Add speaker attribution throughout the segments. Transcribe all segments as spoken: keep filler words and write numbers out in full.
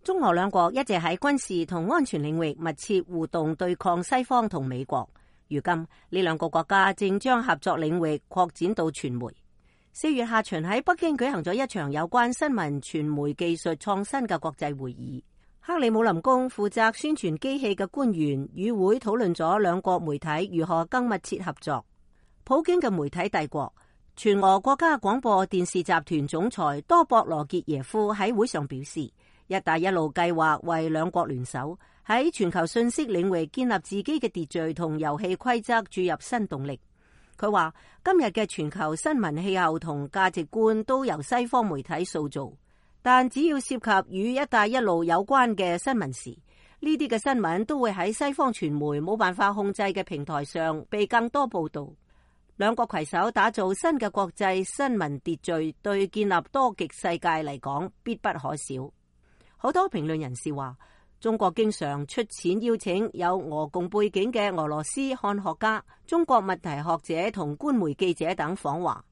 Speaker 1: 中俄兩國一直喺軍事同安全領域密切互動，對抗西方同美國。如今呢兩個國家正將合作領域擴展到傳媒。四月下旬喺北京舉行咗一場有關新聞傳媒技術創新嘅國際會議。克里姆林宮負責宣傳機器嘅官員與會討論咗兩國媒體如何更密切合作。普京嘅媒體帝國全俄國家廣播電視集團總裁多博羅傑耶夫喺會上表示，一帶一路計劃為兩國聯手喺全球信息領域建立自己嘅秩序同遊戲規則注入新動力。佢話今日嘅全球新聞氣候同價值觀都由西方媒體塑造，但只要涉及與一帶一路有關嘅新聞時，呢啲嘅新聞都會喺西方傳媒冇辦法控制嘅平台上被更多報道。兩國攜手打造新嘅國際新聞秩序，對建立多極世界嚟講必不可少。好多評論人士話，中國經常出錢邀請有俄共背景嘅俄羅斯漢學家、中國問題學者同官媒記者等訪華。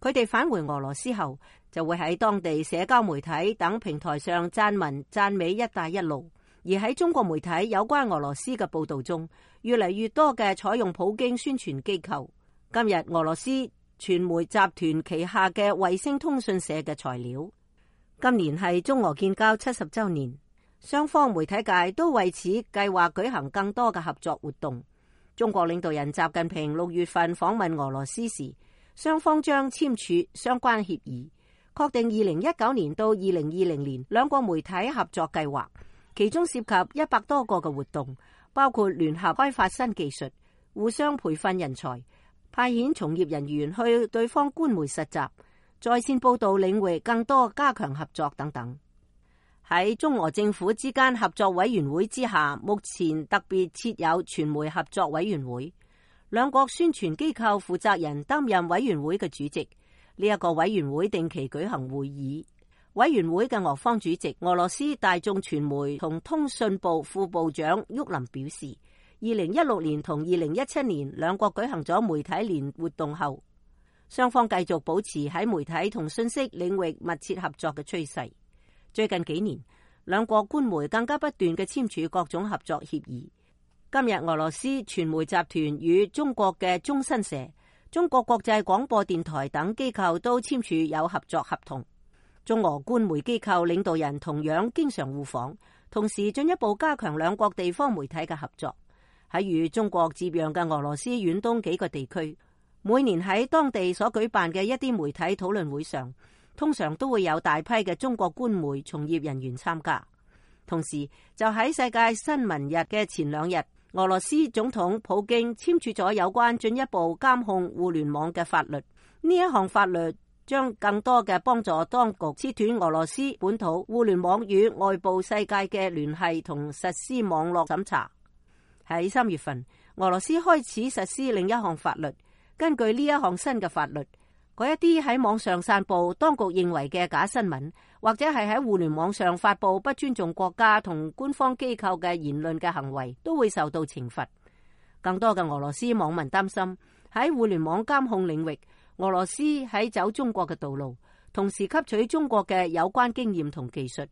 Speaker 1: 佢哋返回俄羅斯後，就會喺當地社交媒體等平台上撰文讚美一帶一路。而喺中國媒體有關俄羅斯嘅報道中，越嚟越多嘅採用普京宣傳機構。今日俄羅斯傳媒集團旗下嘅衛星通訊社嘅材料。今年係中俄建交七十週年，雙方媒體界都為此計劃舉行更多嘅合作活動。中國領導人習近平六月份訪問俄羅斯時，雙方將簽署相關協議，確定二零一九年到二零二零年兩國媒體合作計劃，其中涉及一百多個嘅活動，包括聯合開發新技術、互相培訓人才、派遣從業人員去對方官媒實習、在線報道領域更多加強合作等等。喺中俄政府之間合作委員會之下，目前特別設有傳媒合作委員會，兩國宣傳機構負責人擔任委員會嘅主席。呢一個委員會定期舉行會議。委員會嘅俄方主席俄羅斯大眾傳媒同通訊部副部長沃林表示，二零一六年同二零一七年兩國舉行咗媒體年活動後，雙方繼續保持喺媒體同信息領域密切合作嘅趨勢。最近幾年，兩國官媒更加不斷嘅簽署各種合作協議。今日俄羅斯傳媒集團與中國嘅中新社、中國國際廣播電台等機構都簽署有合作合同。中俄官媒機構領導人同樣經常互訪，同時進一步加強兩國地方媒體嘅合作。喺與中國接壤嘅俄羅斯遠東幾個地區，每年喺當地所舉辦嘅一啲媒體討論會上，通常都會有大批嘅中國官媒從業人員參加。同時，就喺世界新聞日嘅前兩日，俄羅斯總統普京簽署咗有關進一步監控互聯網嘅法律。呢一項法律將更多嘅幫助當局切斷俄羅斯本土互聯網與外部世界嘅聯繫同實施網絡審查。喺三月份，俄羅斯開始實施另一項法律。根據呢一項新嘅法律，嗰一啲喺網上散布當局認為嘅假新聞，或者係喺互聯網上發布不尊重國家同官方機構嘅言論嘅行為，都會受到懲罰。更多嘅俄羅斯網民擔心喺互聯網監控領域，俄羅斯喺走中國嘅道路，同時吸取中國嘅有關經驗同技術。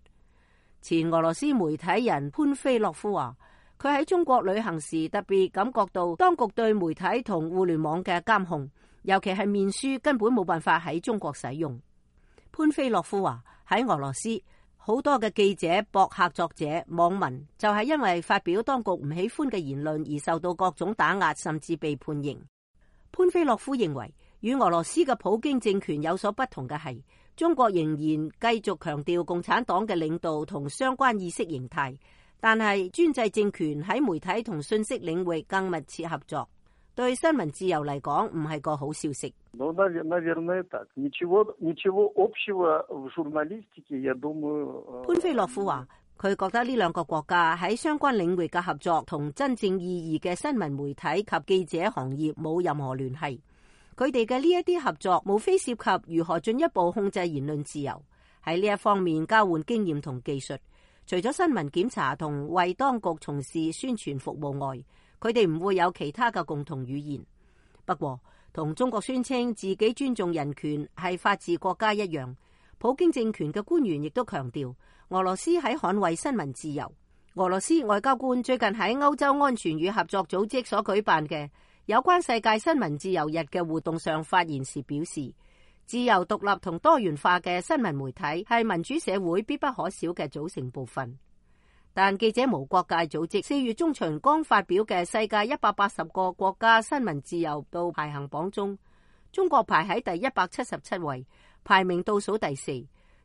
Speaker 1: 前俄羅斯媒體人潘菲洛夫話，佢喺中國旅行時特別感覺到當局對媒體同互聯網嘅監控，尤其係面書根本冇辦法喺中國使用。潘菲洛夫話，喺俄羅斯好多嘅記者、博客作者、網民就係因為發表當局唔喜歡嘅言論而受到各種打壓，甚至被判刑。潘菲洛夫認為，與俄羅斯嘅普京政權有所不同嘅係，中國仍然繼續強調共產黨嘅領導同相關意識形態。但係專制政權喺媒體同信息領域更密切合作，對新聞自由嚟講唔係個好消息。潘菲洛夫話，佢覺得呢兩個國家喺相關領域嘅合作同真正意義嘅新聞媒體及記者行業冇任何聯繫。佢哋嘅呢一啲合作無非涉及如何進一步控制言論自由，喺呢一方面交換經驗同技術。除咗新聞檢查同為當局從事宣傳服務外，佢哋唔會有其他嘅共同語言。不過，同中國宣稱自己尊重人權係法治國家一樣，普京政權嘅官員亦都強調，俄羅斯喺捍衛新聞自由。俄羅斯外交官最近喺歐洲安全與合作組織所舉辦嘅有關世界新聞自由日嘅活動上發言時表示，自由獨立同多元化嘅新聞媒體係民主社會必不可少嘅組成部分。但記者無國界組織四月中旬剛發表嘅世界一百八十個國家新聞自由度排行榜中，中國排喺第一百七十七位，排名倒數第四。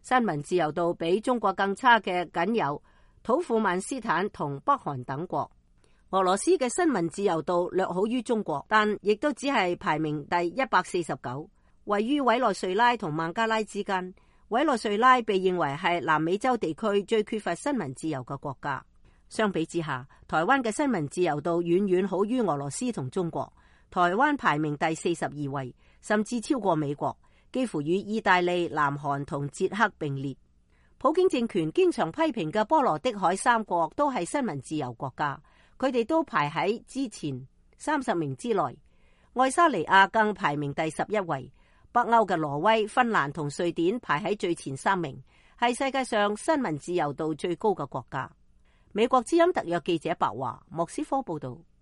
Speaker 1: 新聞自由度比中國更差嘅僅有土庫曼斯坦同北韓等國。俄羅斯嘅新聞自由度略好於中國，但亦都只係排名第一百四十九，位於委內瑞拉同孟加拉之間。委內瑞拉被認為係南美洲地區最缺乏新聞自由嘅國家。相比之下，台灣嘅新聞自由度遠遠好於俄羅斯同中國。台灣排名第四十二位，甚至超過美國，幾乎與意大利、南韓同捷克並列。普京政權經常批評嘅波羅的海三國都係新聞自由國家，佢哋都排喺之前三十名之內。愛沙尼亞更排名第十一位。北歐嘅挪威、芬蘭同瑞典排喺最前三名，係世界上新聞自由度最高嘅國家。美國之音特約記者白華，莫斯科報道。